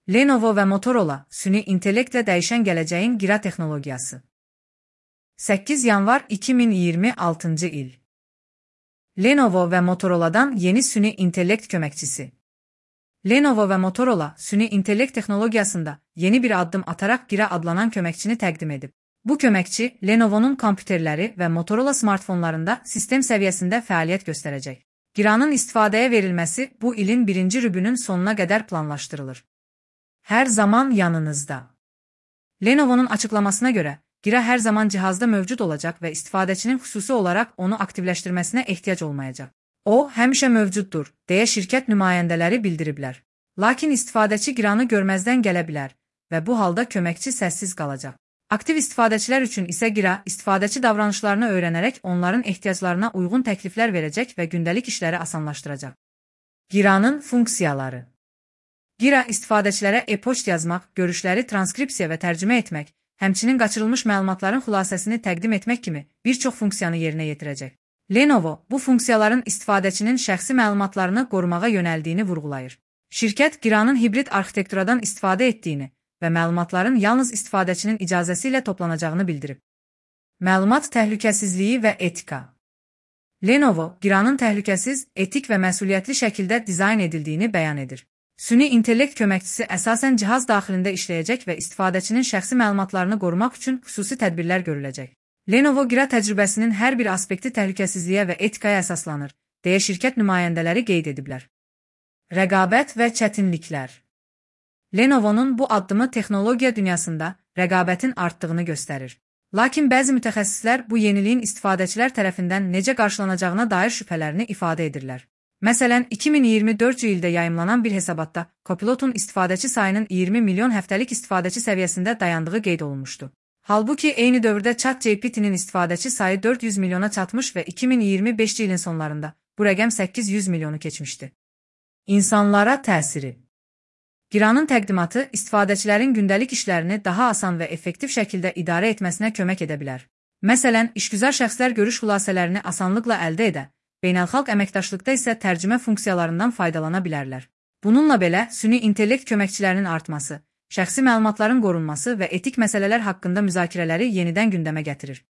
Lenovo və Motorola süni intellektlə dəyişən gələcəyin gira texnologiyası. 8 yanvar 2026 il. Lenovo və Motorola'dan yeni süni intellekt köməkçisi. Lenovo və Motorola süni intellekt texnologiyasında yeni bir addım ataraq gira adlanan köməkçini təqdim edib. Bu köməkçi Lenovo'nun kompüterləri və Motorola smartfonlarında sistem səviyyəsində fəaliyyət göstərəcək. Giranın istifadəyə verilməsi bu ilin 1-ci rübünün sonuna qədər planlaşdırılır. Hər zaman yanınızda. Lenovo'nun açıqlamasına görə, gira hər zaman cihazda mövcud olacaq və istifadəçinin xüsusi olaraq onu aktivləşdirməsinə ehtiyac olmayacaq. O, həmişə mövcuddur, deyə şirkət nümayəndələri bildiriblər. Lakin istifadəçi giranı görməzdən gələ bilər və bu halda köməkçi səssiz qalacaq. Aktiv istifadəçilər üçün isə gira, istifadəçi davranışlarını öyrənərək onların ehtiyaclarına uyğun təkliflər verəcək və gündəlik işləri asanlaşdıracaq. Giranın funksiyaları. Gira istifadəçilərə e-poçt yazmaq, görüşləri transkripsiya və tərcümə etmək, həmçinin qaçırılmış məlumatların xülasəsini təqdim etmək kimi bir çox funksiyanı yerinə yetirəcək. Lenovo bu funksiyaların istifadəçinin şəxsi məlumatlarını qorumağa yönəldiyini vurğulayır. Şirkət giranın hibrid arxitekturadan istifadə etdiyini və məlumatların yalnız istifadəçinin icazəsi ilə toplanacağını bildirib. Məlumat təhlükəsizliyi və etika. Lenovo giranın təhlükəsiz, etik və məsuliyyətli şəkildə dizayn edildiyini bəyan edir. Süni intellekt köməkçisi əsasən cihaz daxilində işləyəcək və istifadəçinin şəxsi məlumatlarını qorumaq üçün xüsusi tədbirlər görüləcək. Lenovo gira təcrübəsinin hər bir aspekti təhlükəsizliyə və etikaya əsaslanır, deyə şirkət nümayəndələri qeyd ediblər. Rəqabət və çətinliklər. Lenovo'nun bu addımı texnologiya dünyasında rəqabətin artdığını göstərir. Lakin bəzi mütəxəssislər bu yeniliyin istifadəçilər tərəfindən necə qarşılanacağına dair şübhələrini ifadə edirlər. Məsələn, 2024 ildə yayımlanan bir hesabatda Copilot'un istifadəçi sayının 20 milyon həftəlik istifadəçi səviyyəsində dayandığı qeyd olunmuşdu. Halbuki eyni dövrdə ChatGPT-nin istifadəçi sayı 400 milyona çatmış və 2025 ilin sonlarında bu rəqəm 800 milyonu keçmişdi. İnsanlara təsiri. Giranın təqdimatı istifadəçilərin gündəlik işlərini daha asan və effektiv şəkildə idarə etməsinə kömək edə bilər. Məsələn, işgüzar şəxslər görüş xülasələrini asanlıqla əldə edə, beynəlxalq əməkdaşlıqda isə tərcümə funksiyalarından faydalana bilərlər. Bununla belə, süni intellekt köməkçilərinin artması, şəxsi məlumatların qorunması və etik məsələlər haqqında müzakirələri yenidən gündəmə gətirir.